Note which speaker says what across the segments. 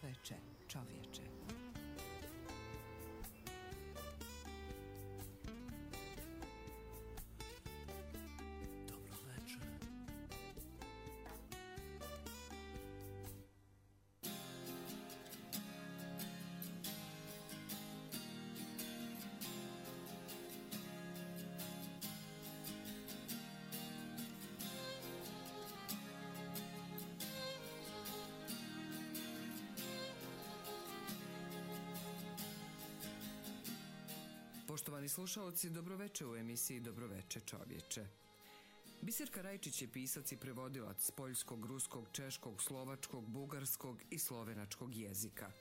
Speaker 1: Dobroveče, čovječe.
Speaker 2: Poštovani slušaoci, dobroveče u emisiji Dobroveče čovječe. Biserka Rajčić je pisac i prevodilac poljskog, ruskog, češkog, slovačkog, bugarskog i slovenačkog jezika.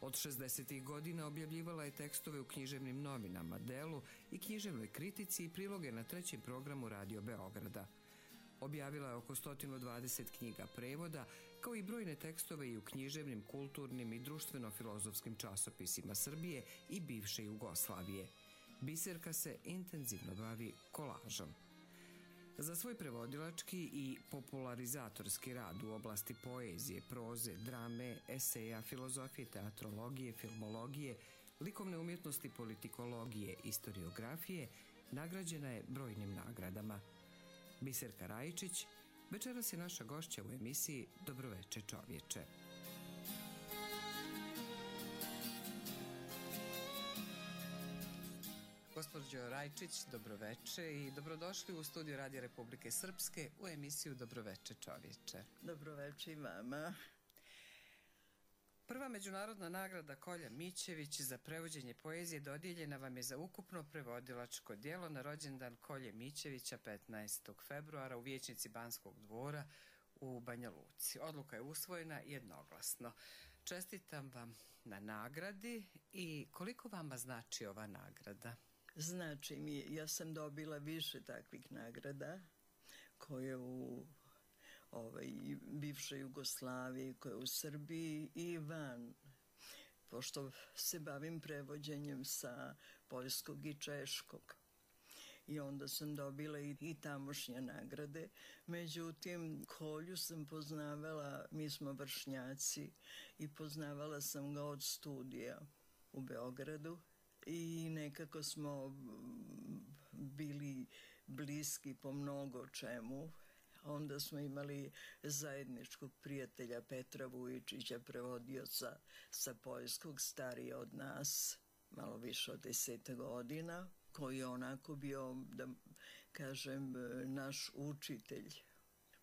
Speaker 2: Od 60. godina objavljivala je tekstove u književnim novinama, Delu i književnoj kritici i priloge na trećem programu Radio Beograda. Objavila je oko 120 knjiga prevoda, kao i brojne tekstove i u književnim, kulturnim i društveno-filozofskim časopisima Srbije i bivše Jugoslavije. Biserka se intenzivno bavi kolažom. Za svoj prevodilački i popularizatorski rad u oblasti poezije, proze, drame, eseja, filozofije, teatrologije, filmologije, likovne umjetnosti, politikologije, istoriografije, nagrađena je brojnim nagradama. Biserka Rajčić večeras je naša gošća u emisiji Dobroveče čovječe. Gospođo Rajčić, dobroveče i dobrodošli u studiju Radija Republike Srpske u emisiju Dobroveče čovječe.
Speaker 3: Dobroveče i vama.
Speaker 2: Prva međunarodna nagrada Kolja Mićević za prevođenje poezije dodijeljena vam je za ukupno prevodilačko djelo na rođendan Kolje Mićevića 15. februara u vijećnici Banskog dvora u Banja Luci. Odluka je usvojena jednoglasno. Čestitam vam na nagradi i koliko vama znači ova nagrada?
Speaker 3: Znači mi, ja sam dobila više takvih nagrada koje u bivšoj Jugoslaviji, koje u Srbiji i van, pošto se bavim prevođenjem sa poljskog i češkog. I onda sam dobila i tamošnje nagrade. Međutim, Kolju sam poznavala, mi smo vršnjaci, i poznavala sam ga od studija u Beogradu. I nekako smo bili bliski po mnogo čemu. Onda smo imali zajedničkog prijatelja Petra Vujičića, prevodioca sa poljskog, stariji od nas, malo više od 10 godina, koji je onako bio, da kažem, naš učitelj.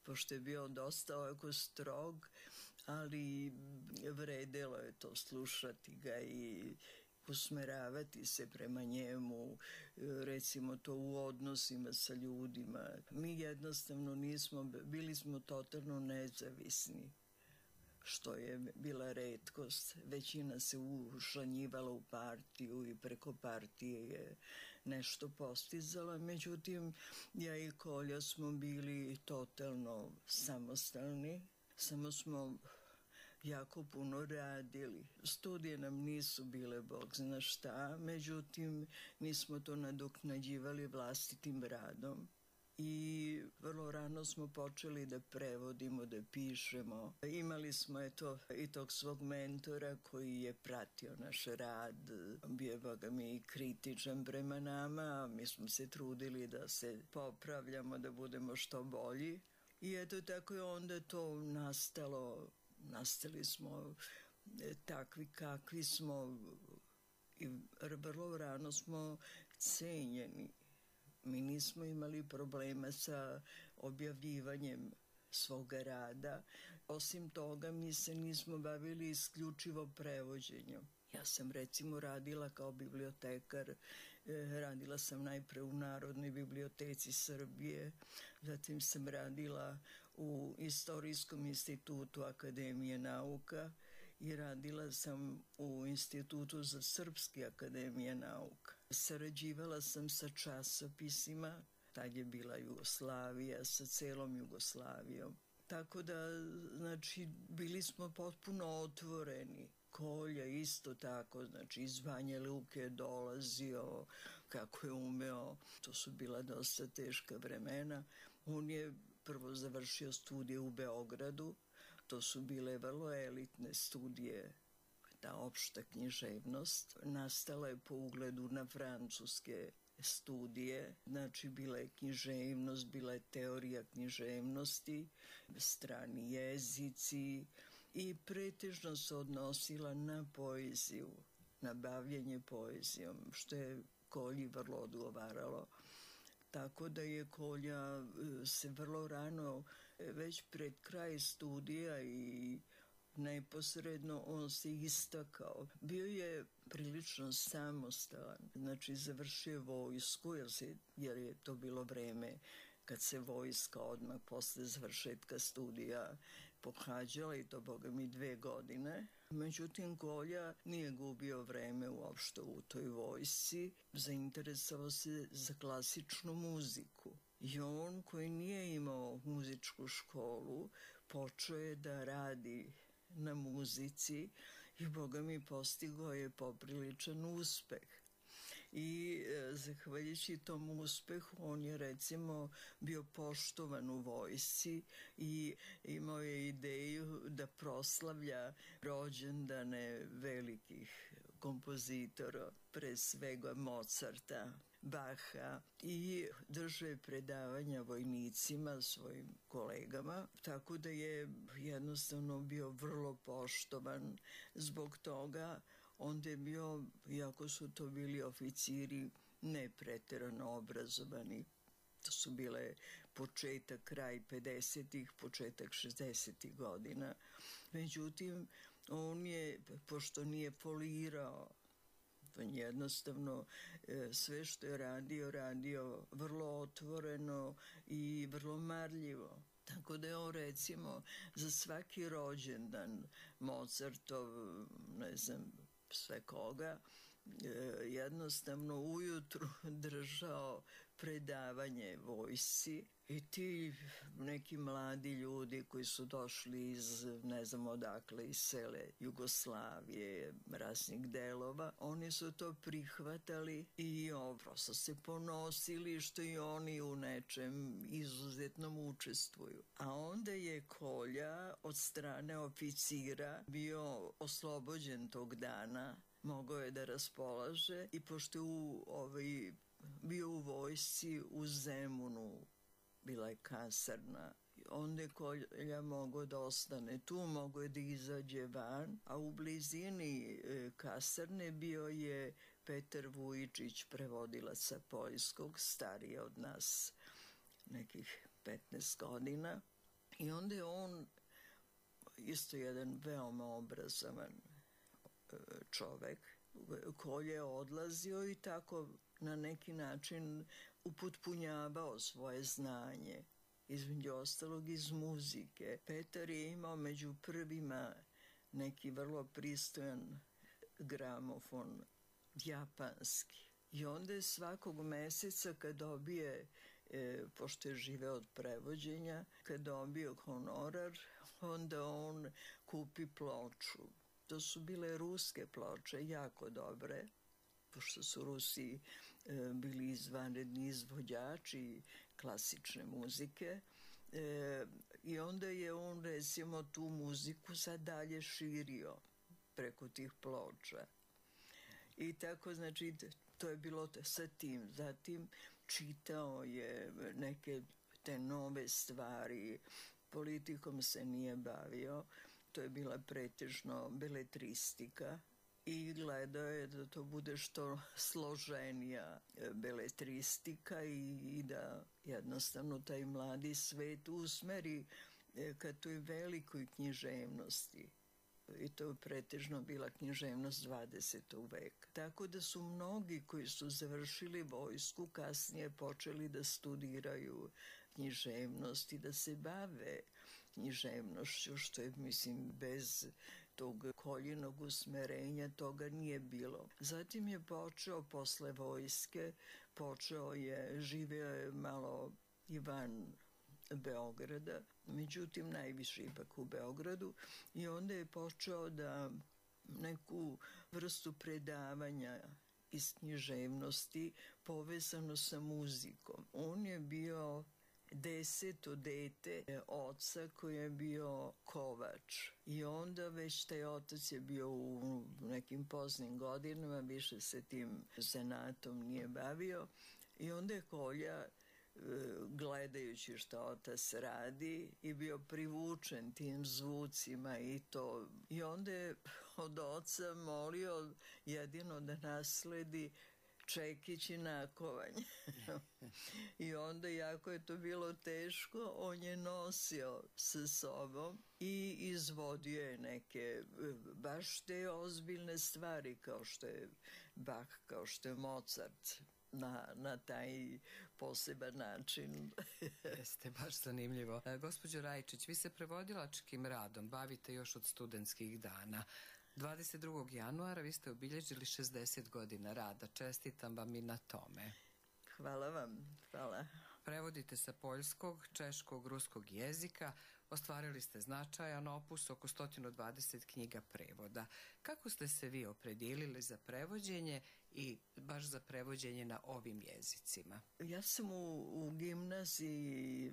Speaker 3: Pošto je bio dosta ovako strog, ali vredelo je to slušati ga i usmeravati se prema njemu, recimo to u odnosima sa ljudima. Mi jednostavno bili smo totalno nezavisni, što je bila retkost. Većina se ušanjivala u partiju i preko partije je nešto postizala. Međutim, ja i Kolja smo bili totalno samostalni, samo smo jako puno radili. Studije nam nisu bile bog zna šta, međutim mi smo to nadoknađivali vlastitim radom i vrlo rano smo počeli da prevodimo, da pišemo. Imali smo i tog svog mentora koji je pratio naš rad, bio je boga mi kritičan prema nama, mi smo se trudili da se popravljamo, da budemo što bolji i eto tako je onda to nastalo. Nastali smo takvi kakvi smo i vrlo rano smo cenjeni. Mi nismo imali problema sa objavljivanjem svoga rada. Osim toga, mi se nismo bavili isključivo prevođenjem. Ja sam recimo radila kao bibliotekar, radila sam najpre u Narodnoj biblioteci Srbije, zatim sam radila u Istorijskom institutu Akademije nauka i radila sam u Institutu za Srpske Akademije nauka. Sarađivala sam sa časopisima, tad je bila Jugoslavija, sa celom Jugoslavijom. Tako da, znači, bili smo potpuno otvoreni. Kolja isto tako, znači iz Banja Luke je dolazio, kako je umeo, to su bila dosta teška vremena. On je prvo završio studije u Beogradu, To su bile vrlo elitne studije. Ta opšta književnost nastala je po ugledu na francuske studije, znači bila je književnost, bila je teorija književnosti, strani jezici i pretežno se odnosila na poeziju, na bavljenje poezijom, što je Kolji vrlo odgovaralo. Tako da je Kolja se vrlo rano, već pred kraj studija i neposredno on se istakao. Bio je prilično samostalan, znači završio vojsku jer je to bilo vreme kad se vojska odmah posle završetka studija pohađala i to boga mi 2 godine. Međutim, Kolja nije gubio vreme uopšte u toj vojsci, zainteresovao se za klasičnu muziku. I on koji nije imao muzičku školu, počeo je da radi na muzici i boga mi postigao je popriličan uspeh. I zahvaljujući tom uspehu on je recimo bio poštovan u vojsci i imao je ideju da proslavlja rođendane velikih kompozitora, pre svega Mozarta, Baha, i drže predavanja vojnicima, svojim kolegama, tako da je jednostavno bio vrlo poštovan. Zbog toga onda je bio, iako su to bili oficiri, ne preterano obrazovani. To su bile početak, kraj 50-ih, početak 60-ih godina. Međutim, on je, pošto nije folirao, jednostavno sve što je radio vrlo otvoreno i vrlo marljivo. Tako da je on recimo za svaki rođendan Mozartov, ne znam sve koga, jednostavno ujutru držao predavanje vojsci i ti neki mladi ljudi koji su došli iz ne znam odakle, iz cele Jugoslavije, raznih delova, oni su to prihvatali i prosto se ponosili što i oni u nečem izuzetnom učestvuju. A onda je Kolja od strane oficira bio oslobođen tog dana, mogao je da raspolaže i pošto je bio u vojsci u Zemunu, bila je kasarna, onda je Kolja mogao da ostane tu, mogao je da izađe van, a u blizini kasarne bio je Petar Vujičić, prevodilac sa poljskog, stariji od nas nekih 15 godina. I onda je on isto jedan veoma obrazovan čovek. Kolja je odlazio i tako na neki način upotpunjavao svoje znanje, između ostalog iz muzike. Petar je imao među prvima neki vrlo pristojan gramofon, japanski. I onda je svakog meseca kad dobije, pošto je živeo od prevođenja, kad dobio honorar, onda on kupi ploču. To su bile ruske ploče, jako dobre, pošto su Rusi bili izvanredni izvođači klasične muzike. I onda je on recimo tu muziku sad dalje širio preko tih ploča. I tako, znači, to je bilo sa tim. Zatim čitao je neke te nove stvari, politikom se nije bavio, to je bila pretežno beletristika i gledao je da to bude što složenija beletristika i da jednostavno taj mladi svet usmeri ka toj velikoj književnosti. I to je pretežno bila književnost 20. veka. Tako da su mnogi koji su završili vojsku kasnije počeli da studiraju književnost i da se bave književnošću, što je, mislim, bez tog Koljinog usmerenja toga nije bilo. Zatim je počeo posle vojske, živeo je malo i van Beograda, međutim najviše ipak u Beogradu, i onda je počeo da neku vrstu predavanja iz književnosti povezano sa muzikom. On je bio 10. dete oca koji je bio kovač. I onda već taj otac je bio u nekim poznim godinama, više se tim zanatom nije bavio. I onda je Kolja, gledajući što otac radi, i bio privučen tim zvucima i to. I onda je od oca molio jedino da nasledi čekić i nakovanje. I onda, jako je to bilo teško, on je nosio sa sobom i izvodio je neke baš te ozbiljne stvari, kao što je Bach, kao što je Mozart, na taj poseban način.
Speaker 2: Jeste, baš zanimljivo. Gospođo Rajčić, vi se prevodilačkim radom bavite još od studentskih dana. 22. januara vi ste obilježili 60 godina rada. Čestitam vam i na tome.
Speaker 3: Hvala vam, hvala.
Speaker 2: Prevodite sa poljskog, češkog, ruskog jezika. Ostvarili ste značajan opus, oko 120 knjiga prevoda. Kako ste se vi opredijelili za prevođenje i baš za prevođenje na ovim jezicima?
Speaker 3: Ja sam u gimnaziji,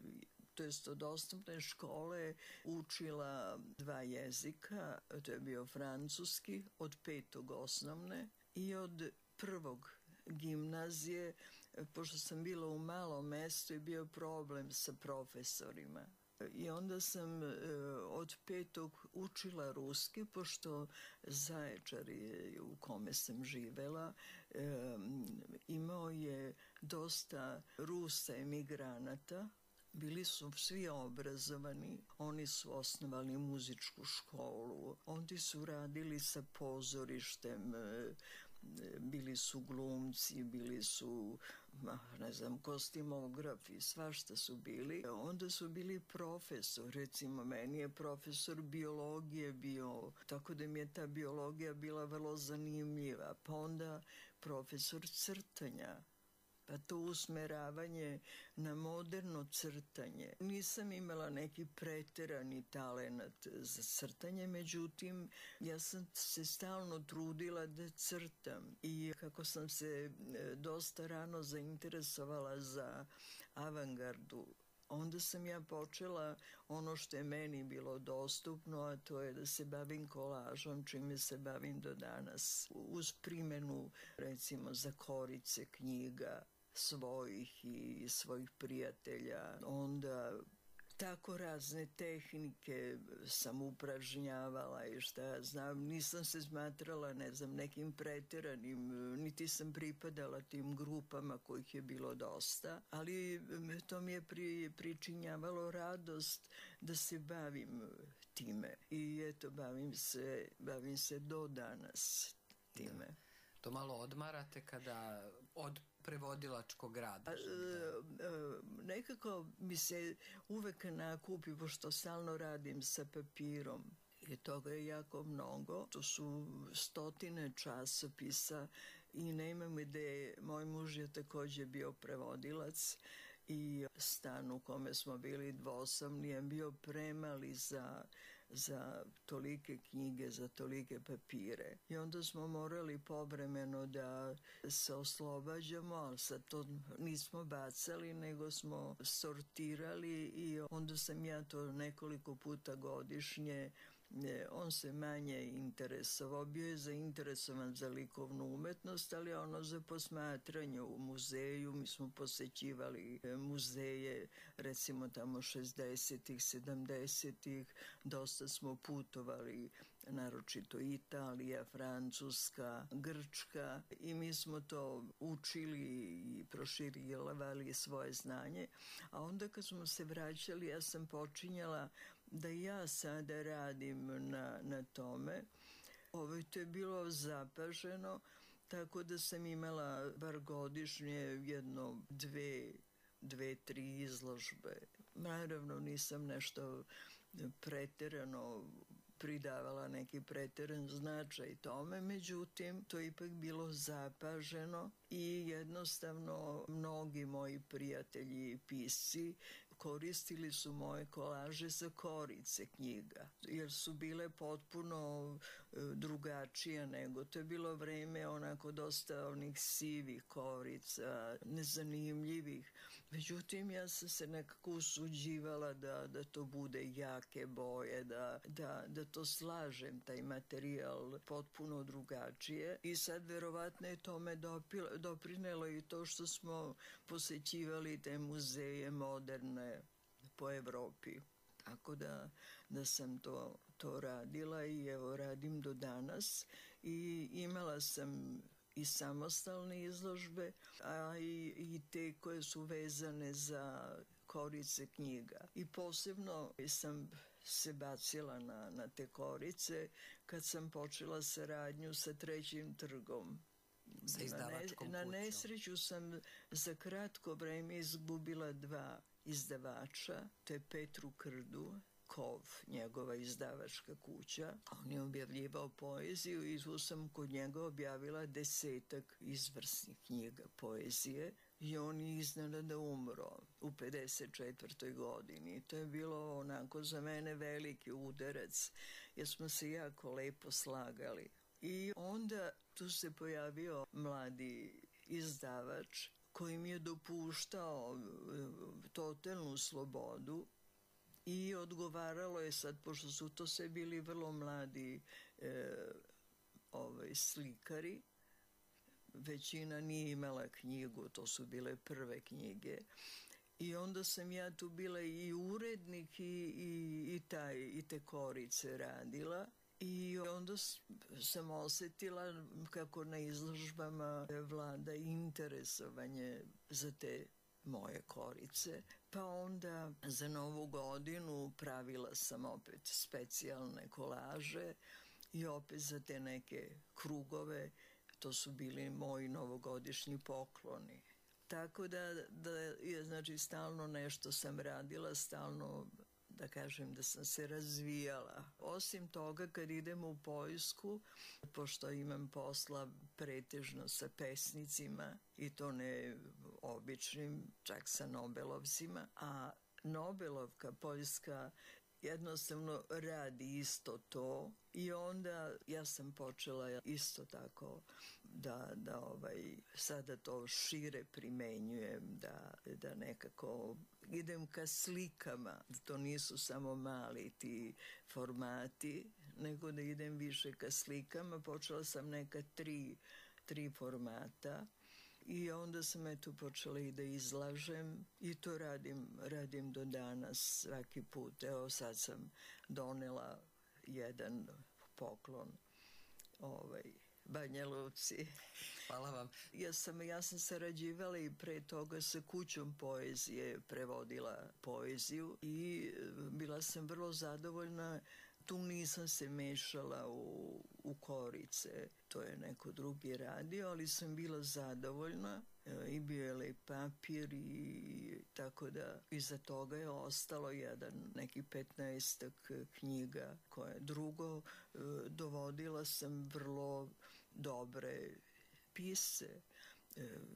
Speaker 3: to jest od osnovne škole, učila 2 jezika. To je bio francuski od 5. osnovne i od 1. gimnazije, pošto sam bila u malom mestu i bio problem sa profesorima. I onda sam od 5. učila ruski, pošto Zaječar u kome sam živela imao je dosta Rusa emigranata. Bili su svi obrazovani, oni su osnovali muzičku školu, oni su radili sa pozorištem, bili su glumci, bili su, ne znam, kostimografi, svašta su bili. Onda su bili profesor, recimo meni je profesor biologije bio, tako da mi je ta biologija bila vrlo zanimljiva. Pa onda profesor crtanja, pa to usmeravanje na moderno crtanje. Nisam imala neki preterani talenat za crtanje, međutim, ja sam se stalno trudila da crtam. I kako sam se dosta rano zainteresovala za avangardu, onda sam ja počela ono što je meni bilo dostupno, a to je da se bavim kolažom, čime se bavim do danas. Uz primjenu, recimo, zakorice knjiga svojih i svojih prijatelja. Onda tako razne tehnike sam upražnjavala i šta ja znam. Nisam se smatrala, ne znam, nekim preteranim, niti sam pripadala tim grupama kojih je bilo dosta, ali to mi je pričinjavalo radost da se bavim time. I eto, bavim se do danas time.
Speaker 2: To malo odmarate kada od prevodilačkog rada?
Speaker 3: Nekako mi se uvek nakupi, pošto stalno radim sa papirom. I toga je jako mnogo. To su 100 časopisa i nemam ideje. Moj muž je takođe bio prevodilac i stan u kome smo bili dvosobni je bio premali za tolike knjige, za tolike papire. I onda smo morali povremeno da se oslobađamo, ali sad to nismo bacali, nego smo sortirali i onda sam ja to nekoliko puta godišnje. On se manje interesovao, bio je zainteresovan za likovnu umetnost, ali ono za posmatranje u muzeju. Mi smo posećivali muzeje, recimo tamo 60-ih, 70-ih, dosta smo putovali, naročito Italija, Francuska, Grčka, i mi smo to učili i proširivali svoje znanje. A onda kad smo se vraćali, ja sam počinjala da ja sada radim na tome. To je bilo zapaženo, tako da sam imala bar godišnje dve, tri izložbe. Naravno, nisam nešto preterano pridavala neki preteran značaj tome, međutim, to je ipak bilo zapaženo i jednostavno mnogi moji prijatelji i pisci koristili su moje kolaže za korice knjiga, jer su bile potpuno drugačija nego. To je bilo vreme onako dosta onih sivih korica, nezanimljivih. Međutim, ja sam se nekako usuđivala da to bude jake boje, da to slažem, taj materijal potpuno drugačije. I sad verovatno je tome doprinelo i to što smo posećivali te muzeje moderne po Evropi. Tako da sam to radila i evo radim do danas i imala sam i samostalne izložbe, a i te koje su vezane za korice knjiga. I posebno sam se bacila na te korice kad sam počela saradnju sa Trećim trgom.
Speaker 2: Sa izdavačkom
Speaker 3: Na
Speaker 2: kućom.
Speaker 3: nesreću sam za kratko vreme izgubila 2 izdavača, to je Petru Krdu, Kov, njegova izdavačka kuća. On je objavljivao poeziju i tu sam kod njega objavila 10 izvrsnih knjiga poezije i on je iznenada umro u 54. godini. To je bilo onako za mene veliki udarac jer smo se jako lepo slagali. I onda tu se pojavio mladi izdavač koji mi je dopuštao totalnu slobodu i odgovaralo je sad, pošto su to sve bili vrlo mladi slikari, većina nije imala knjigu, to su bile prve knjige. I onda sam ja tu bila i urednik i te korice radila. I onda sam osetila kako na izložbama vlada interesovanje za te moje korice. Pa onda za Novu godinu pravila sam opet specijalne kolaže i opet za te neke krugove. To su bili moji novogodišnji pokloni. Tako da je, znači, stalno nešto sam radila, stalno, da kažem, da sam se razvijala. Osim toga, kad idemo u Poljsku, pošto imam posla pretežno sa pesnicima, i to ne običnim, čak sa Nobelovcima, a Nobelovka poljska jednostavno radi isto to i onda ja sam počela isto tako da sada to šire primenjujem, da nekako idem ka slikama. To nisu samo mali ti formati, nego da idem više ka slikama. Počela sam neka tri formata. I onda sam počela i da izlažem i to radim do danas svaki put. Evo sad sam donela jedan poklon Banja Luci.
Speaker 2: Hvala vam.
Speaker 3: Ja sam sarađivala i pre toga sa kućom poezije, prevodila poeziju i bila sam vrlo zadovoljna. Tu nisam se mešala u korice, to je neko drugi radio, ali sam bila zadovoljna i bio je lep papir i tako da iza toga je ostalo neki 15 knjiga koje drugo. Dovodila sam vrlo dobre pisce,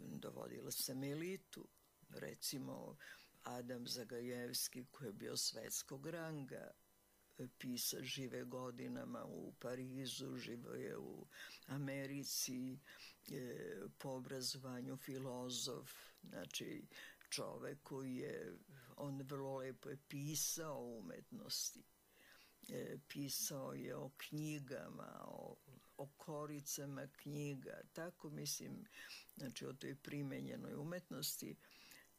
Speaker 3: dovodila sam elitu, recimo Adam Zagajevski koji je bio svetskog ranga, pisac, žive godinama u Parizu, živo je u Americi, po obrazovanju filozof, znači čovek koji je, on vrlo lepo je pisao o umetnosti, pisao je o knjigama, o koricama knjiga, tako mislim, znači o toj primenjenoj umetnosti.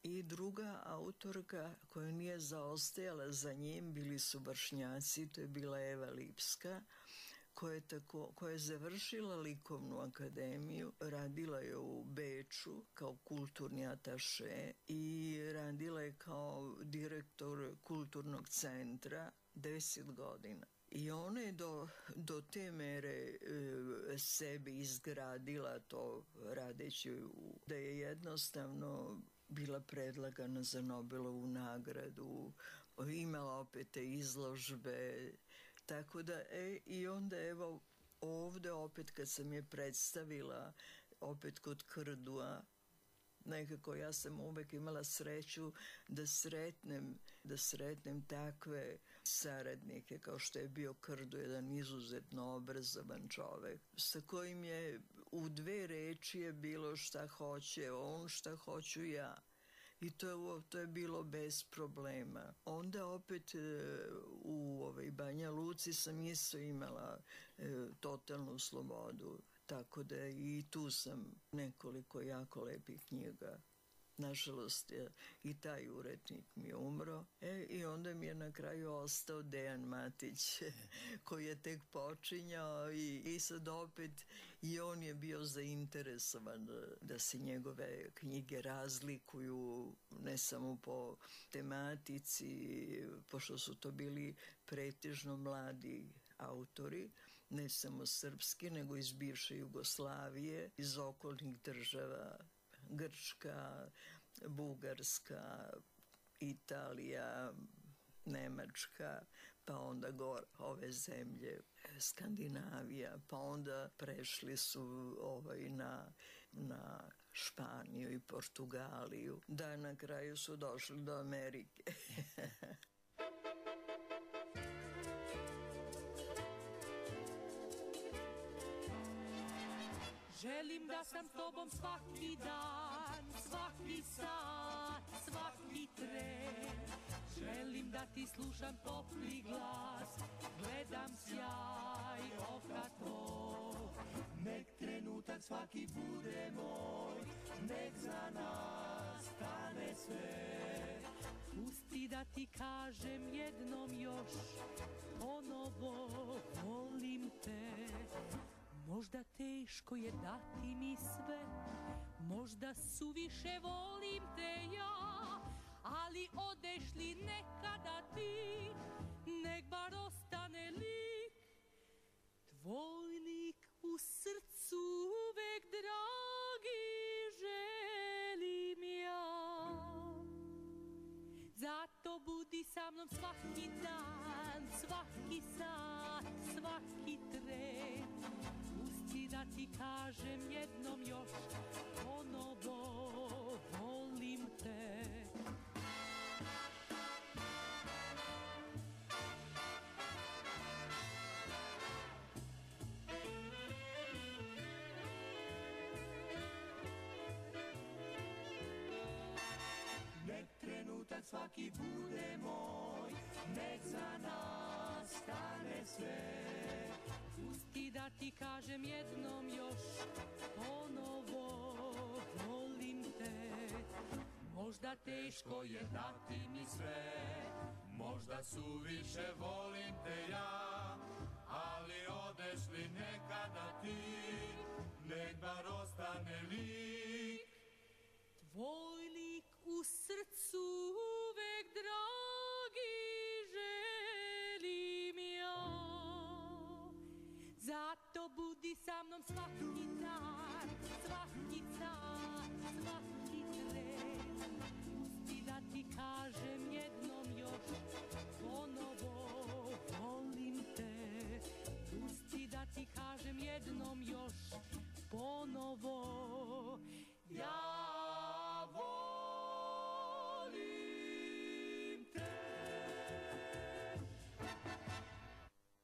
Speaker 3: I druga autorka koja nije zaostajala za njim bili su vršnjaci, to je bila Eva Lipska, koja je završila likovnu akademiju, radila je u Beču kao kulturni ataše i radila je kao direktor kulturnog centra 10 godina. I ona je do te mere sebi izgradila to radeći da je jednostavno bila predlagana za Nobelovu nagradu, imala opet te izložbe, tako da, i onda evo ovde opet kad sam je predstavila, opet kod Krdua, nekako ja sam uvek imala sreću da sretnem takve saradnike kao što je bio Krdo, jedan izuzetno obrazovan čovek sa kojim je u 2 reči je bilo šta hoće on, šta hoću ja. I to je bilo bez problema. Onda opet u Banja Luci sam isto imala totalnu slobodu. Tako da i tu sam nekoliko jako lepih knjiga. Nažalost, i taj urednik mi je umro. I onda mi je na kraju ostao Dejan Matić, koji je tek počinjao i sad opet i on je bio zainteresovan da se njegove knjige razlikuju ne samo po tematici, pošto su to bili pretežno mladi autori, ne samo srpski, nego iz bivše Jugoslavije, iz okolnih država, Grčka, Bugarska, Italija, Nemačka, pa onda ove zemlje, Skandinavija, pa onda prešli su na Španiju i Portugaliju, da na kraju su došli do Amerike.
Speaker 1: Želim da sam s tobom svaki dan, svaki sat, svaki tren. Želim da ti slušam topli glas, gledam sjaj oka tvoj. Nek trenutak svaki bude moj, nek za nas stane sve. Pusti da ti kažem jednom još, ponovo volim te. Možda teško je dati mi sve, možda suviše volim te ja, ali odeš li nekada ti, nek bar ostane lik, tvoj lik u srcu uvek dragi želim ja. Zato budi sa mnom svaki dan, svaki sat, svaki tren. Pusti da ti kažem jednom još, ponovo volim te. Nek trenutak svaki bude moj, nek za nas stane sve. Pusti da ti kažem jednom još, ponovo volim te. Možda teško je dati mi sve, možda suviše volim te ja, ali odeš li nekada ti, nek bar ostane lik, tvoj lik u srcu uvek dragi želim ja. Zato budi sa mnom svaki dan, svaki sat, svaki tren. Pusti da ti kažem jednom još, ponovo volim te. Pusti da ti kažem jednom još, ponovo ja volim te.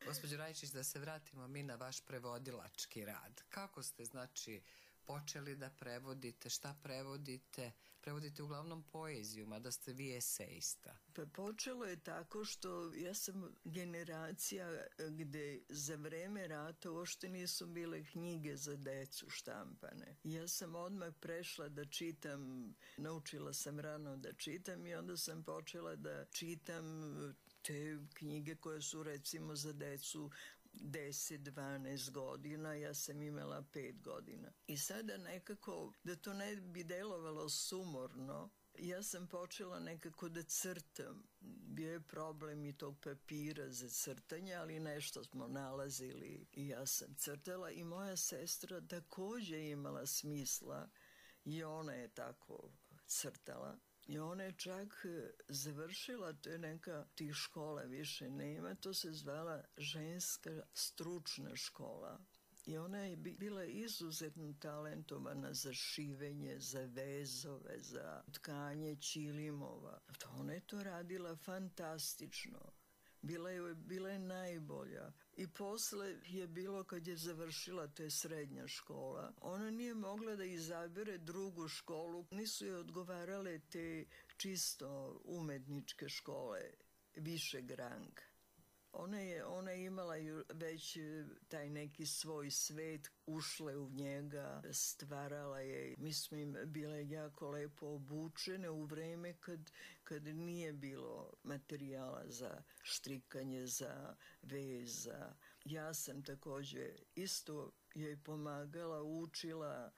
Speaker 2: Gospođo Rajčić, da se vratimo mi na vaš prevodilački rad. Kako ste, znači, počeli da prevodite, šta prevodite? Prevodite uglavnom poeziju, mada ste vi esejista.
Speaker 3: Pa počelo je tako što ja sam generacija gde za vreme rata uopšte nisu bile knjige za decu štampane. Ja sam odmah prešla da čitam, naučila sam rano da čitam i onda sam počela da čitam te knjige koje su recimo za decu 10-12 godina, ja sam imala 5 godina. I sada nekako, da to ne bi delovalo sumorno, ja sam počela nekako da crtam. Bio je problem i tog papira za crtanje, ali nešto smo nalazili i ja sam crtala i moja sestra takođe imala smisla i ona je tako crtala. I ona je čak završila, to je neka tih škola više nema, to se zvala ženska stručna škola. I ona je bila izuzetno talentovana za šivenje, za vezove, za tkanje ćilimova. Ona je to radila fantastično. Bila je najbolja. I posle je bilo kad je završila, to je srednja škola, ona nije mogla da izabere drugu školu. Nisu joj odgovarale te čisto umetničke škole, višeg ranga. Ona je imala već taj neki svoj svet, ušla je u njega, stvarala je. Mi smo im bile jako lepo obučene u vreme kad nije bilo materijala za štrikanje, za vez. Ja sam takođe isto joj pomagala, učila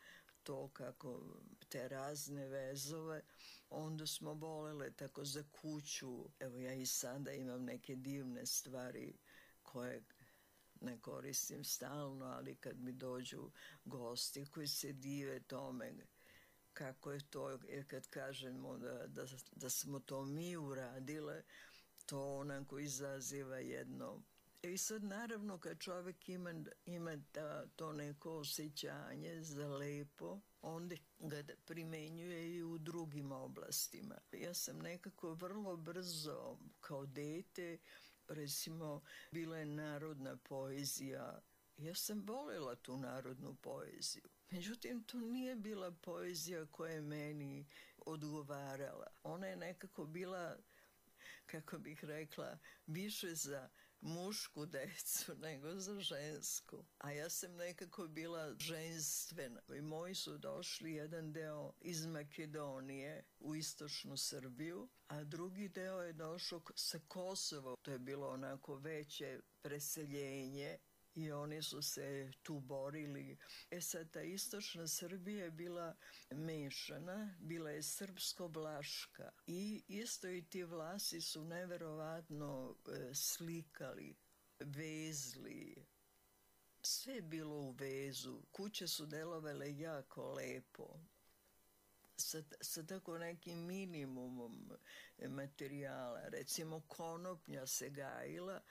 Speaker 3: to kako te razne vezove. Onda smo volele tako za kuću. Evo ja i sada imam neke divne stvari koje ne koristim stalno, ali kad mi dođu gosti koji se dive tome kako je to, jer kad kažemo da smo to mi uradile, to onako izaziva jedno. I sad naravno kad čovjek ima to neko osjećanje za lepo, onda ga primenjuje i u drugim oblastima. Ja sam nekako vrlo brzo kao dete, recimo bila je narodna poezija. Ja sam voljela tu narodnu poeziju. Međutim, to nije bila poezija koja je meni odgovarala. Ona je nekako bila, kako bih rekla, više za mušku decu nego za žensku. A ja sam nekako bila ženstvena. I moji su došli jedan deo iz Makedonije u istočnu Srbiju, a drugi deo je došao sa Kosova. To je bilo onako veće preseljenje i oni su se tu borili. Sad, ta istočna Srbija je bila mešana, bila je srpsko-vlaška i isto i ti Vlasi su neverovatno slikali, vezli. Sve je bilo u vezu. Kuće su delovale jako lepo. Sa tako nekim minimumom materijala. Recimo konopnja se gajila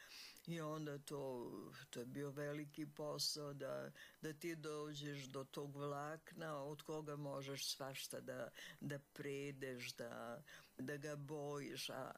Speaker 3: i onda to je bio veliki posao da ti dođeš do tog vlakna od koga možeš svašta da predeš, da ga bojiš. A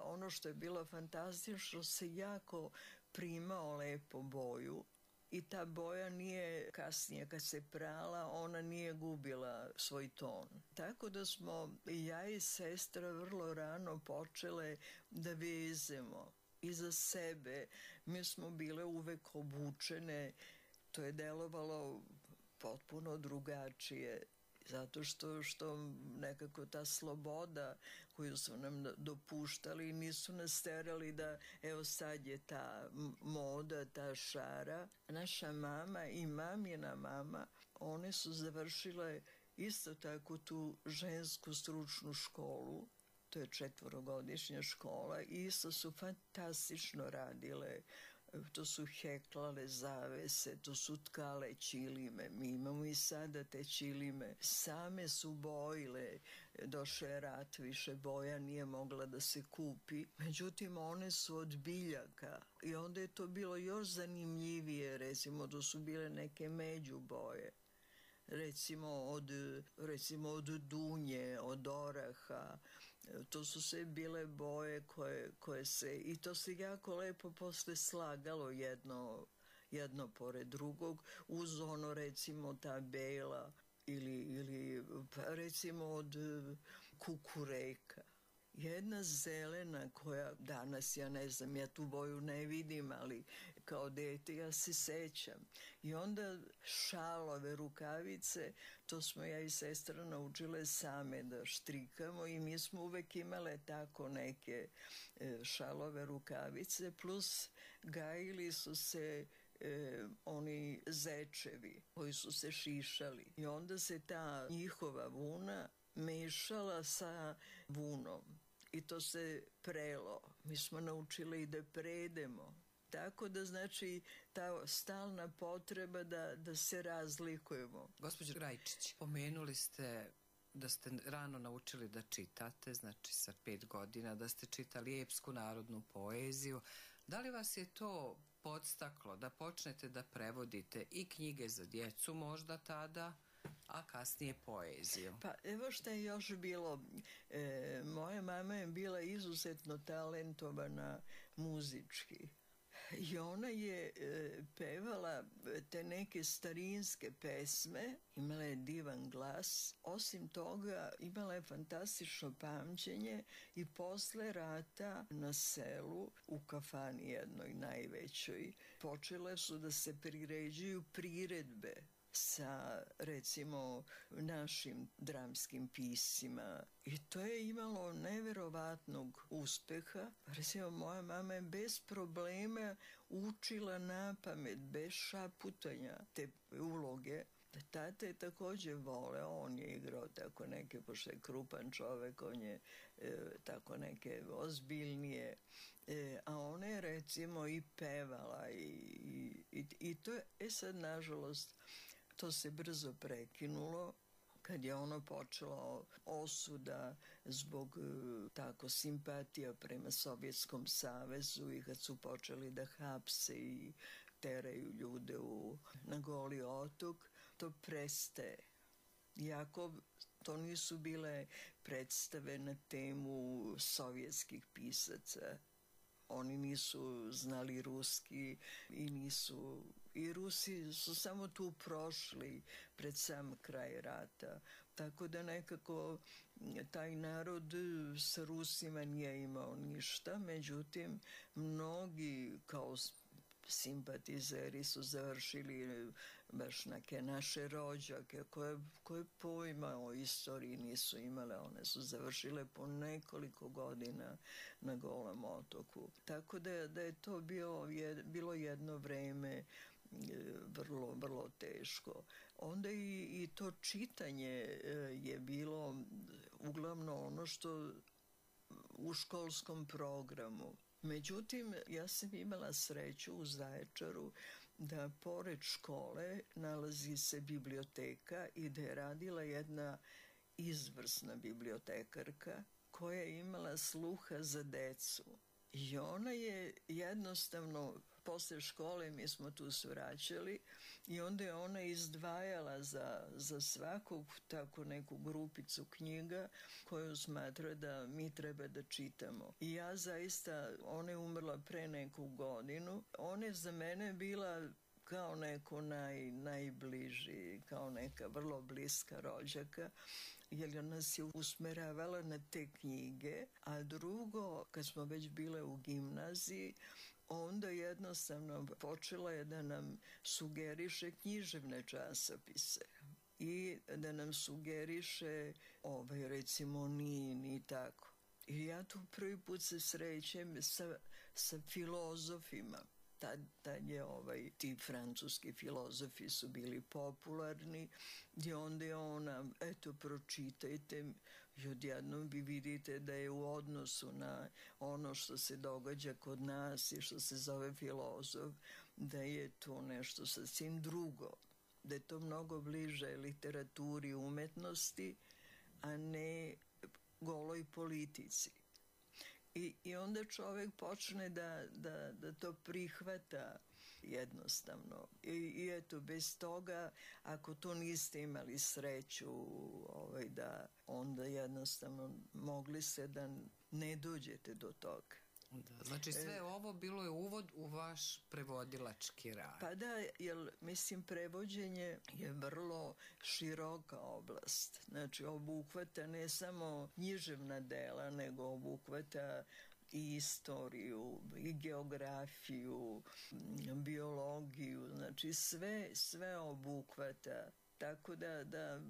Speaker 3: ono što je bilo fantastično, se jako primao lepo boju. I ta boja nije kasnije, kad se prala, ona nije gubila svoj ton. Tako da smo i ja i sestra vrlo rano počele da vezemo. I za sebe mi smo bile uvek obučene. To je delovalo potpuno drugačije. Zato što nekako ta sloboda koju su nam dopuštali, nisu nas terali da evo sad je ta moda, ta šara. Naša mama i mamina mama, one su završile isto tako tu žensku stručnu školu. To je 4-godišnja škola i isto su fantastično radile. To su heklale zavese, to su tkale ćilime. Mi imamo i sada te ćilime. Same su bojile. Došao je rat, više boja nije mogla da se kupi. Međutim, one su od biljaka. I onda je to bilo još zanimljivije. Recimo, to su bile neke međuboje. Recimo od dunje, od oraha. To su sve bile boje koje se, i to se jako lepo posle slagalo jedno pored drugog, uz ono recimo ta bela ili recimo od kukureka. Jedna zelena koja danas, ja ne znam, ja tu boju ne vidim, ali kao dete ja se sećam. I onda šalove, rukavice, to smo ja i sestra naučile same da štrikamo i mi smo uvek imale tako neke šalove, rukavice, plus gajili su se oni zečevi koji su se šišali. I onda se ta njihova vuna mešala sa vunom i to se prelo. Mi smo naučili i da predemo. Tako da znači ta stalna potreba da se razlikujemo.
Speaker 2: Gospođo Rajčić, pomenuli ste da ste rano naučili da čitate, znači sa 5 godina, da ste čitali epsku narodnu poeziju, Da li vas je to podstaklo da počnete da prevodite i knjige za djecu možda tada, a kasnije poeziju?
Speaker 3: Pa evo što je još bilo. Moja mama je bila izuzetno talentovana muzički. I ona je pevala te neke starinske pesme, imala je divan glas. Osim toga, imala je fantastično pamćenje i posle rata na selu, u kafani jednoj najvećoj, počele su da se priređuju priredbe sa, recimo, našim dramskim pisima. I to je imalo neverovatnog uspeha. Recimo, moja mama je bez problema učila napamet, bez šaputanja te uloge. Tata je također voleo, on je igrao tako neke, pošto je krupan čovek, on je tako neke ozbiljnije, a ona je recimo i pevala i to je, sad nažalost, to se brzo prekinulo kad je ono počelo osuda zbog tako simpatija prema Sovjetskom savezu i kad su počeli da hapse i teraju ljude na Goli otok, to prestaje. Iako to nisu bile predstave na temu sovjetskih pisaca. Oni nisu znali ruski i Rusi su samo tu prošli pred sam kraj rata. Tako da nekako taj narod sa Rusima nije imao ništa, međutim mnogi kao simpatizeri su završili baš neke naše rođake koje pojma o istoriji nisu imale. One su završile po nekoliko godina na Golom otoku. Tako da je to bilo jedno vreme vrlo, vrlo teško. Onda i to čitanje je bilo uglavnom ono što u školskom programu. Međutim, ja sam imala sreću u Zaječaru da pored škole nalazi se biblioteka i da je radila jedna izvrsna bibliotekarka koja je imala sluha za decu. I ona je jednostavno, posle škole mi smo tu svraćali i onda je ona izdvajala za svakog tako neku grupicu knjiga koju smatra da mi treba da čitamo. I ja zaista, ona je umrla pre neku godinu, ona je za mene bila kao neko najbliži, kao neka vrlo bliska rođaka, jer nas je usmeravala na te knjige, a drugo, kad smo već bile u gimnaziji, onda jednostavno počela je da nam sugeriše književne časopise i da nam sugeriše recimo Nin i tako. I ja tu prvi put se srećem sa filozofima. Tad je ti francuski filozofi su bili popularni i onda je ona, eto, pročitajte i odjednom vi vidite da je u odnosu na ono što se događa kod nas i što se zove filozof, da je to nešto sasvim drugo, da je to mnogo bliže literaturi i umetnosti, a ne goloj politici. I onda čovjek počne da to prihvata jednostavno. I eto, bez toga, ako to niste imali sreću, da onda jednostavno mogli se da ne dođete do toga.
Speaker 2: Da, znači sve ovo bilo je uvod u vaš prevodilački rad.
Speaker 3: Pa da, jer mislim prevođenje je vrlo široka oblast. Znači obuhvata ne samo književna dela, nego obuhvata i istoriju, i geografiju, biologiju, znači sve obuhvata. Tako da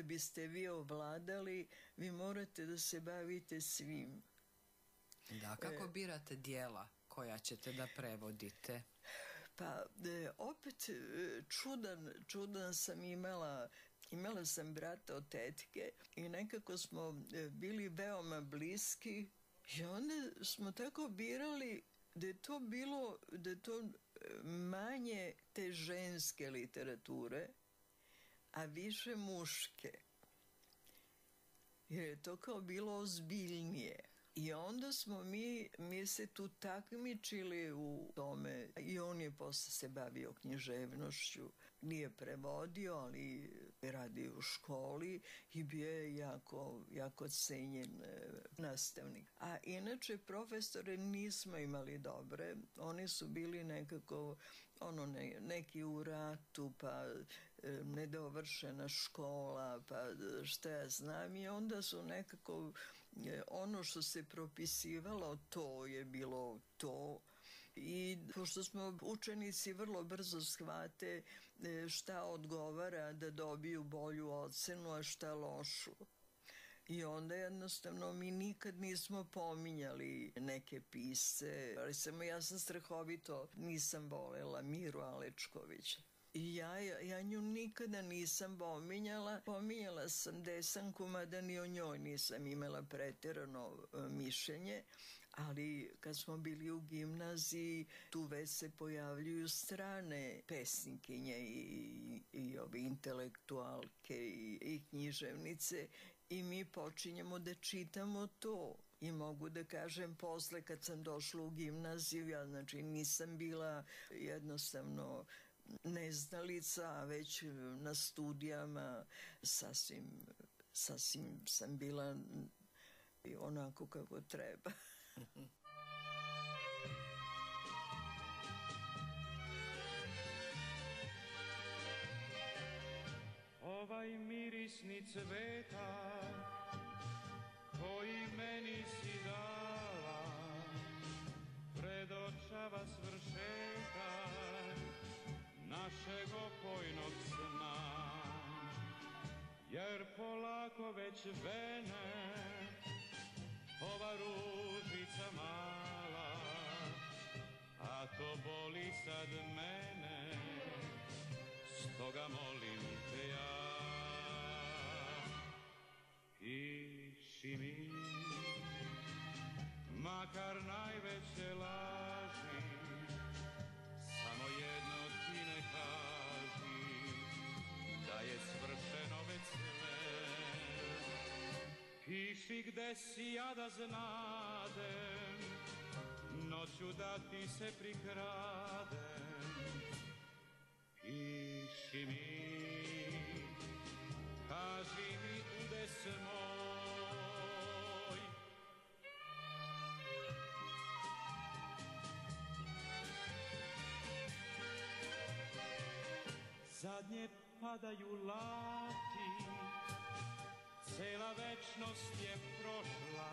Speaker 3: biste vi ovladali, vi morate da se bavite svim.
Speaker 2: Da, kako birate dijela koja ćete da prevodite?
Speaker 3: Pa opet čudan sam imala sam brata od tetke i nekako smo bili veoma bliski i onda smo tako birali da je to manje te ženske literature, a više muške. Jer je to kao bilo ozbiljnije. I onda onda smo mi se tu takmičili u tome i on je posle se bavio književnošću. Nije prevodio, ali radi u školi i bio je jako cenjen nastavnik. A inače profesore nismo imali dobre. Oni su bili nekako neki u ratu, pa nedovršena škola, pa šta ja znam, i onda su nekako ono što se propisivalo, to je bilo to. I pošto smo učenici vrlo brzo shvate šta odgovara da dobiju bolju ocenu, a šta lošu. I onda jednostavno mi nikad nismo pominjali neke pisce. Recimo, ja sam strahovito nisam volela Miru Alečkovića. I ja nju nikada nisam pominjala. Pominjala sam Desanku, mada ni o njoj nisam imala preterano mišljenje. Ali kad smo bili u gimnaziji, tu već se pojavljuju strane pesnikinje i ove intelektualke i književnice i mi počinjemo da čitamo to. I mogu da kažem, posle kad sam došla u gimnaziju, ja znači nisam bila jednostavno neznalica, a već na studijama sasvim sam bila onako kako treba.
Speaker 4: Ovaj mirisni cveta koji meni si dala predočava svršetak našeg opojnog sna, jer polako već vene ova ružica mala, a to boli sad mene, stoga molim te ja, piši mi, makar najveće laži, samo jedno ti ne kaži, da je svršeno već sve. Piši gde si, ja da znadem, noću da ti se prikradem. Piši mi, kaži mi udes moj. Zadnje padaju lati, cela večnost je prošla,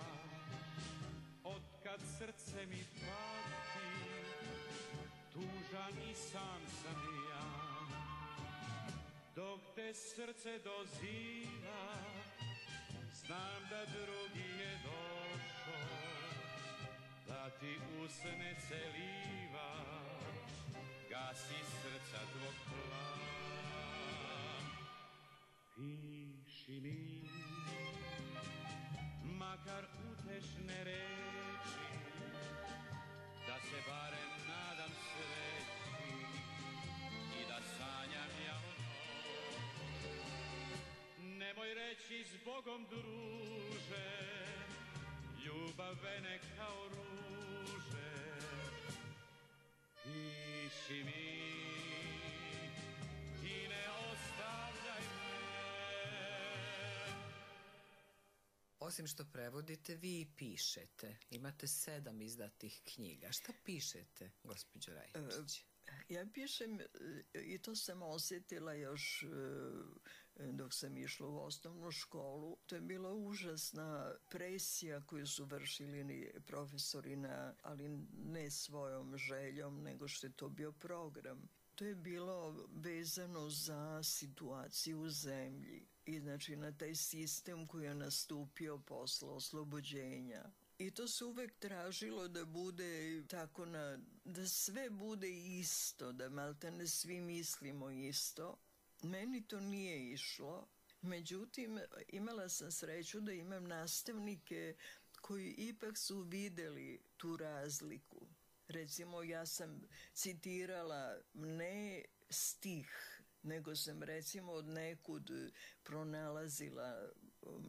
Speaker 4: otkad srce mi pati, tužan i sam sam ja. Dok te srce doziva, znam da drugi je došao, da ti usne celiva, gasi srca tvog plam. Piši mi, makar utešne reči, da se barem nadam sreći i da sanjam ja o njoj. Nemoj reći s Bogom druže, ljubav vene kao ruže. Piši mi, ti ne ostavljaj me.
Speaker 2: Osim što prevodite, vi i pišete. Imate 7 izdatih knjiga. Šta pišete, gospođo Rajčić?
Speaker 3: Ja pišem, i to sam osjetila još dok sam išla u osnovnu školu. To je bila užasna presija koju su vršili profesori, ali ne svojom željom, nego što je to bio program. To je bilo vezano za situaciju u zemlji i znači na taj sistem koji je nastupio posle oslobođenja. I to se uvek tražilo da bude tako, da sve bude isto, da maltene svi mislimo isto. Meni to nije išlo. Međutim, imala sam sreću da imam nastavnike koji ipak su videli tu razliku. Recimo, ja sam citirala ne stih, nego sam recimo od nekud pronalazila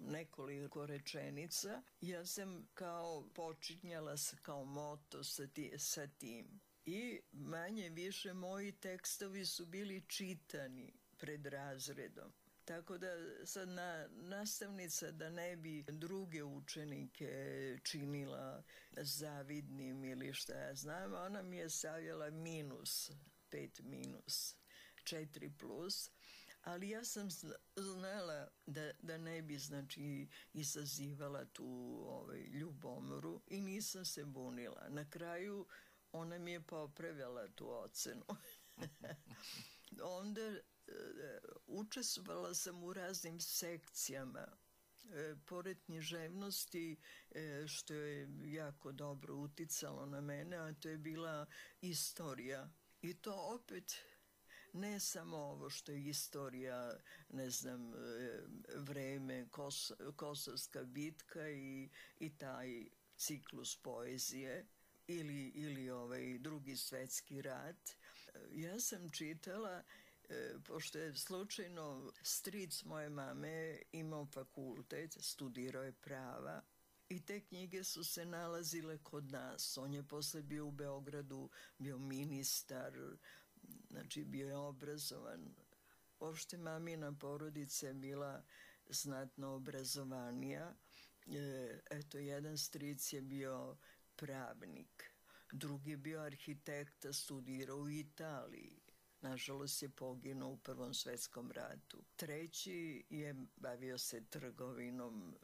Speaker 3: nekoliko rečenica. Ja sam kao počinjala kao moto sa tim. I manje više moji tekstovi su bili čitani pred razredom. Tako da sad nastavnica da ne bi druge učenike činila zavidnim ili šta ja znam, ona mi je stavljala minus, 5 minus, 4 plus, ali ja sam znala da ne bi znači izazivala tu ljubomoru i nisam se bunila. Na kraju ona mi je popravila tu ocenu. Onda učestvovala sam u raznim sekcijama. Pored književnosti, što je jako dobro uticalo na mene, a to je bila istorija. I to opet ne samo ovo što je istorija, ne znam, vreme, Kosovska bitka i taj ciklus poezije ili Drugi svetski rat. Ja sam čitala, pošto je slučajno stric moje mame imao fakultet, studirao je prava i te knjige su se nalazile kod nas. On je posle bio u Beogradu, bio ministar, znači bio je obrazovan. Uopšte mamina porodica je bila znatno obrazovanija. Eto, jedan stric je bio pravnik, drugi je bio arhitekta, studirao u Italiji. Nažalost je poginuo u Prvom svetskom ratu. Treći je bavio se trgovinom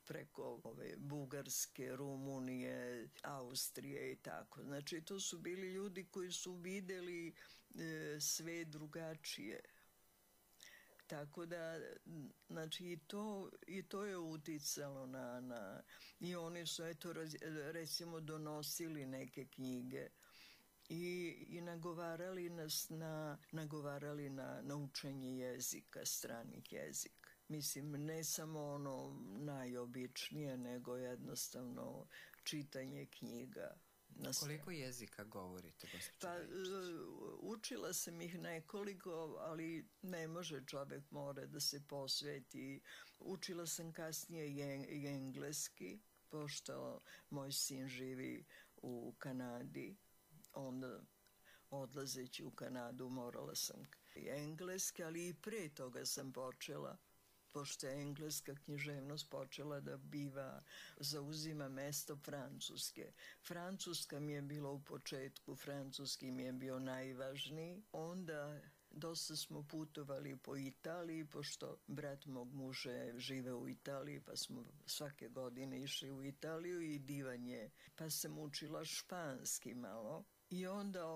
Speaker 3: preko Bugarske, Rumunije, Austrije i tako. Znači to su bili ljudi koji su videli sve drugačije. Tako da, znači i to je uticalo i oni su, eto, recimo donosili neke knjige i nagovarali na učenje jezika, stranih jezika. Mislim, ne samo ono najobičnije, nego jednostavno čitanje knjiga.
Speaker 2: Koliko jezika govorite, gospođo
Speaker 3: Pa,
Speaker 2: Raičić?
Speaker 3: učila sam ih nekoliko, ali ne može, čovek mora da se posveti. Učila sam kasnije i engleski, pošto moj sin živi u Kanadi. Onda, odlazeći u Kanadu, morala sam i engleski, ali i pre toga sam počela, pošto je engleska književnost počela da zauzima mesto francuske. Francuska mi je bila u početku, francuski mi je bio najvažniji. Onda dosta smo putovali po Italiji, pošto brat mog muža je živeo u Italiji, pa smo svake godine išli u Italiju i divan je. Pa sam učila španski malo i onda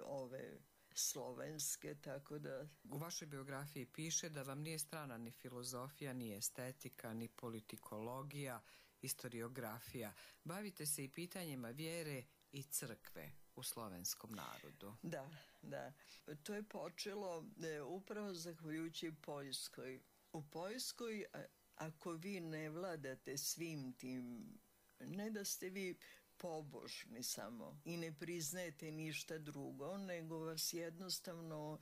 Speaker 3: ove slovenske, tako da...
Speaker 2: U vašoj biografiji piše da vam nije strana ni filozofija, ni estetika, ni politikologija, historiografija. Bavite se i pitanjima vjere i crkve u slovenskom narodu.
Speaker 3: Da. To je počelo upravo zahvaljujući Poljskoj. U Poljskoj, ako vi ne vladate svim tim, ne da ste vi pobožni samo i ne priznajete ništa drugo, nego vas jednostavno,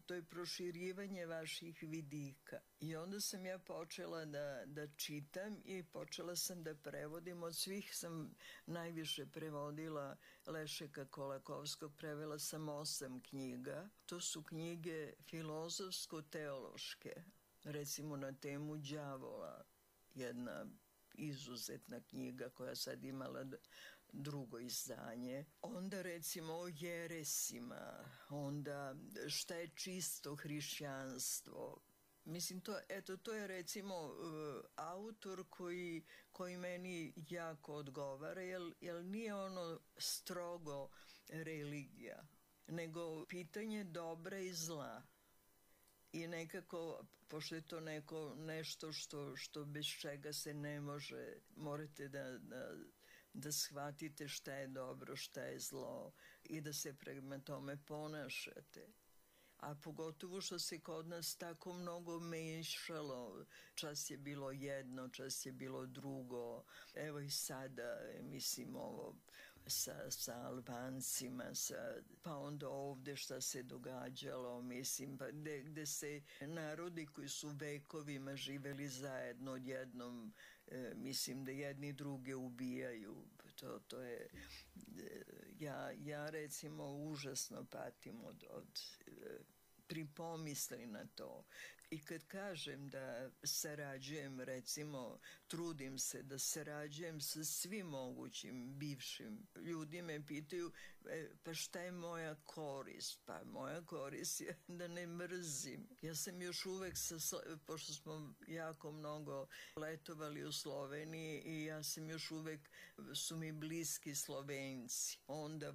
Speaker 3: to je proširivanje vaših vidika. I onda sam ja počela da čitam i počela sam da prevodim. Od svih sam najviše prevodila Lešeka Kolakovskog, prevela sam 8 knjiga. To su knjige filozofsko-teološke, recimo na temu đavola, jedna izuzetna knjiga koja sad imala drugo izdanje. Onda recimo o jeresima, onda šta je čisto hrišćanstvo. Mislim, to je recimo autor koji meni jako odgovara, jer nije ono strogo religija, nego pitanje dobra i zla. I nekako, pošto je to nešto što bez čega se ne može, morate da shvatite šta je dobro, šta je zlo i da se prema tome ponašate. A pogotovo što se kod nas tako mnogo mešalo, čas je bilo jedno, čas je bilo drugo. Evo i sada, mislim, ovo sa Albancima, pa onda ovde šta se događalo, mislim, pa gde se narodi koji su vekovima živeli zajedno odjednom, mislim da jedni druge ubijaju. To je, ja recimo užasno patim od pripomisli na to. I kad kažem da sarađujem, recimo, trudim se da sarađujem sa svim mogućim bivšim, ljudi me pitaju, pa šta je moja korist? Pa moja korist je da ne mrzim. Ja sam još uvek, pošto smo jako mnogo letovali u Sloveniji i ja sam još uvek, su mi bliski Slovenci. Onda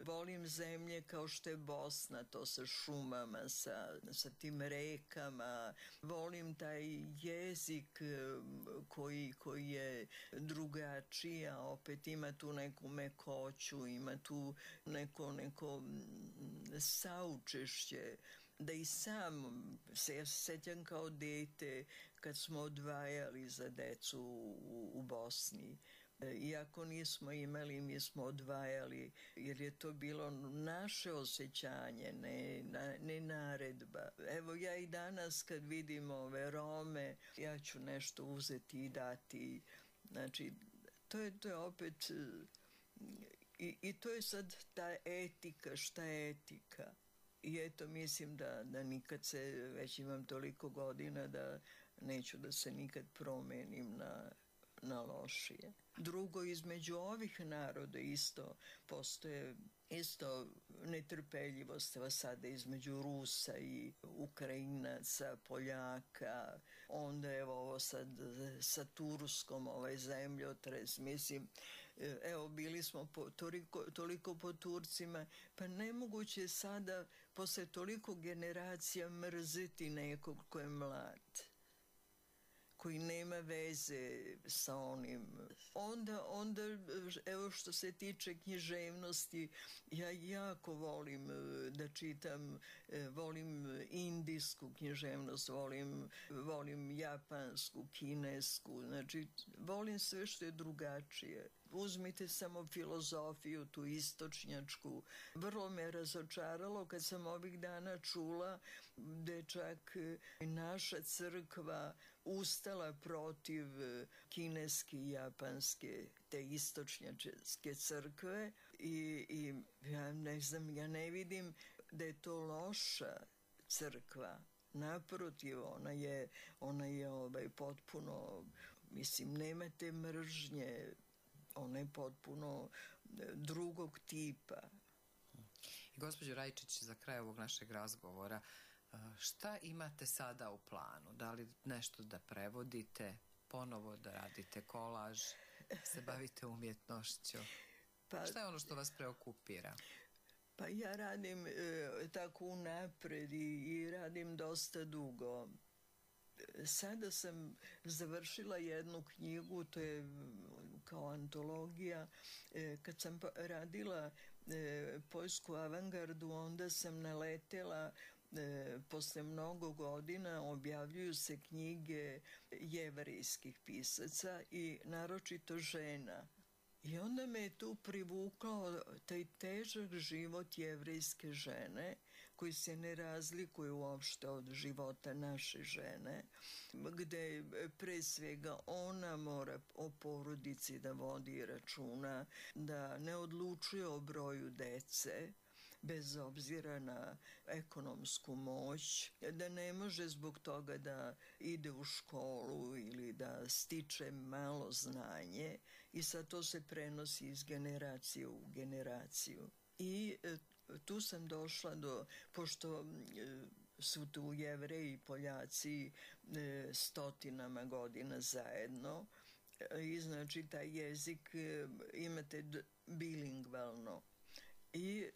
Speaker 3: volim zemlje kao što je Bosna, to sa šumama, sa tim rekama. Volim taj jezik koji je drugačiji, a opet ima tu neku mekoću, ima tu neko saučešće. Da i sam se sećam kao dete kad smo odvajali za decu u Bosni. Iako nismo imali, mi smo odvajali, jer je to bilo naše osjećanje, ne naredba. Evo ja i danas kad vidim ove Rome, ja ću nešto uzeti i dati. Znači, to je opet, i to je sad ta etika, šta je etika. I eto, mislim da nikad se, već imam toliko godina da neću da se nikad promenim na lošije. Drugo, između ovih naroda isto postoje netrpeljivost sada između Rusa i Ukrajinaca, Poljaka, onda evo ovo sad sa Turskom, ovaj zemljotres, mislim, evo bili smo toliko po Turcima, pa nemoguće je sada posle toliko generacija mrziti nekog ko je mlad, koji nema veze sa onim. Onda, evo što se tiče književnosti, ja jako volim da čitam, volim indijsku književnost, volim japansku, kinesku, znači volim sve što je drugačije. Uzmite samo filozofiju, tu istočnjačku. Vrlo me razočaralo kad sam ovih dana čula da je čak naša crkva ustala protiv kineske i japanske, te istočnjačke crkve i ja ne znam, ja ne vidim da je to loša crkva. Naprotiv, ona je potpuno, mislim, nema te mržnje, ona je potpuno drugog tipa.
Speaker 2: I gospođo Rajčić, za kraj ovog našeg razgovora, šta imate sada u planu? Da li nešto da prevodite, ponovo da radite kolaž, se bavite umjetnošću? Šta je ono što vas preokupira?
Speaker 3: Pa ja radim tako unapred i radim dosta dugo. Sada sam završila jednu knjigu, to je kao antologija. Kad sam radila poljsku avangardu, onda sam naletela, posle mnogo godina objavljuju se knjige jevrejskih pisaca i naročito žena. I onda me je tu privukao taj težak život jevrejske žene, koji se ne razlikuje uopšte od života naše žene, gde pre svega ona mora o porodici da vodi računa, da ne odlučuje o broju dece, bez obzira na ekonomsku moć, da ne može zbog toga da ide u školu ili da stiče malo znanje i sad to se prenosi iz generacije u generaciju. I tu sam došla pošto su tu Jevreji i Poljaci stotinama godina zajedno, i znači taj jezik imate bilingvalno. I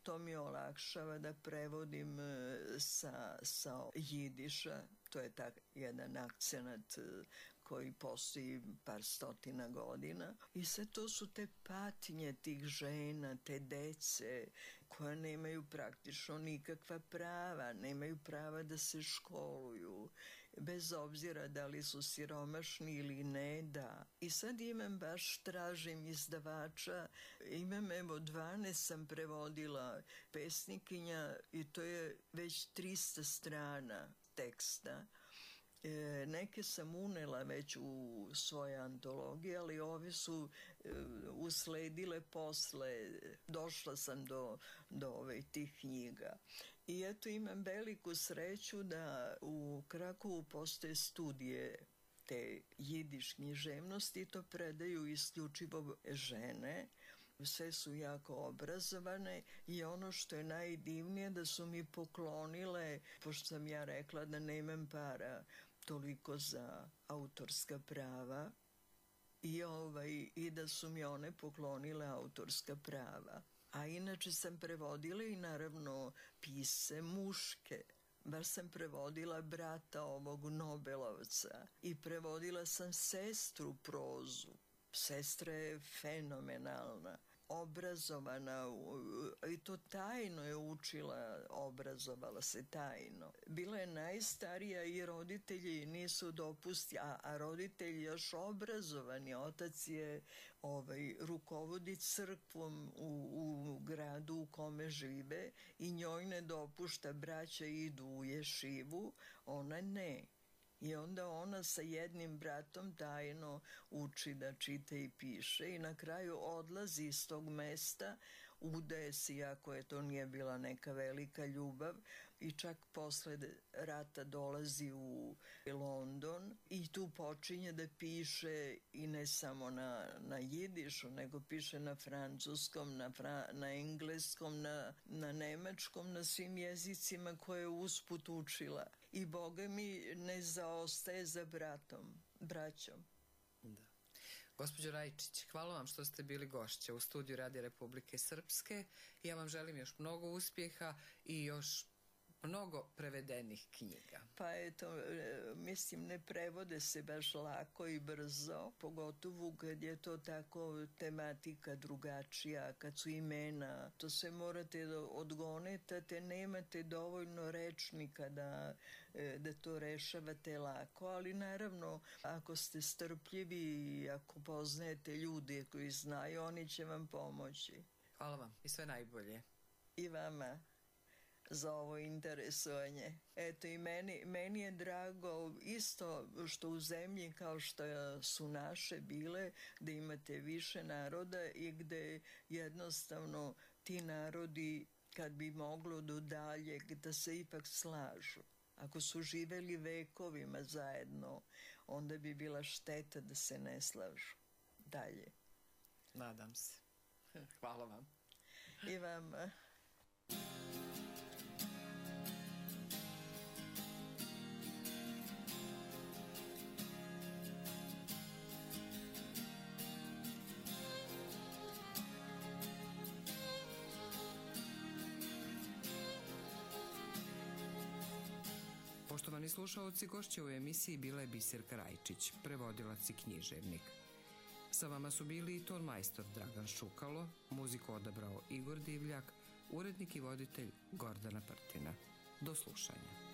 Speaker 3: to mi olakšava da prevodim sa jidiša, to je jedan akcenat koji postoji par stotina godina. I sve to su te patnje tih žena, te dece koja nemaju praktično nikakva prava, nemaju prava da se školuju bez obzira da li su siromašni ili ne, da. I sad tražim izdavača, imam, evo, 12 sam prevodila pesnikinja i to je već 300 strana teksta. Neke sam unela već u svoje antologije, ali ove su usledile posle. Došla sam do tih knjiga. I eto, imam veliku sreću da u Krakovu postoje studije te jidiš književnosti, to predaju isključivo žene. Sve su jako obrazovane i ono što je najdivnije da su mi poklonile, pošto sam ja rekla da nemam para toliko za autorska prava, i da su mi one poklonile autorska prava. A inače sam prevodila i naravno pise muške. Baš sam prevodila brata ovog Nobelovca i prevodila sam sestru prozu. Sestra je fenomenalna, obrazovana i to tajno je učila, obrazovala se tajno. Bila je najstarija i roditelji nisu dopustili, a roditelji još obrazovani. Otac je rukovodi crkvom u gradu u kome žive i njoj ne dopušta, braća idu u ješivu, ona ne. I onda ona sa jednim bratom tajno uči da čita i piše i na kraju odlazi iz tog mesta, udaje se, iako je to nije bila neka velika ljubav, i čak posle rata dolazi u London i tu počinje da piše i ne samo na jidišu, nego piše na francuskom, na engleskom, na nemačkom, na svim jezicima koje je usput učila. I Boga mi ne zaostaje za braćom.
Speaker 2: Da. Gospođo Rajčić, hvala vam što ste bili gošća u studiju Radija Republike Srpske. Ja vam želim još mnogo uspjeha i još mnogo prevedenih knjiga.
Speaker 3: Pa eto, mislim, ne prevode se baš lako i brzo, pogotovo kad je to tako tematika drugačija, kad su imena, to sve morate da odgonetate, nemate dovoljno rečnika da to rešavate lako, ali naravno, ako ste strpljivi i ako poznajete ljude koji znaju, oni će vam pomoći.
Speaker 2: Hvala vam i sve najbolje.
Speaker 3: I vama za ovo interesovanje. Eto, i meni je drago isto što u zemlji kao što su naše bile, da imate više naroda i gde jednostavno ti narodi, kad bi moglo do daljeg, da se ipak slažu. Ako su živeli vekovima zajedno, onda bi bila šteta da se ne slažu dalje.
Speaker 2: Nadam se. Hvala vam.
Speaker 3: I vama.
Speaker 2: Poštovani slušaoci, gošća u emisiji bila je Biserka Rajčić, prevodilac i književnik. Sa vama su bili i tonmajstor Dragan Šukalo, muziku odabrao Igor Divljak, urednik i voditelj Gordana Prtina. Do slušanja.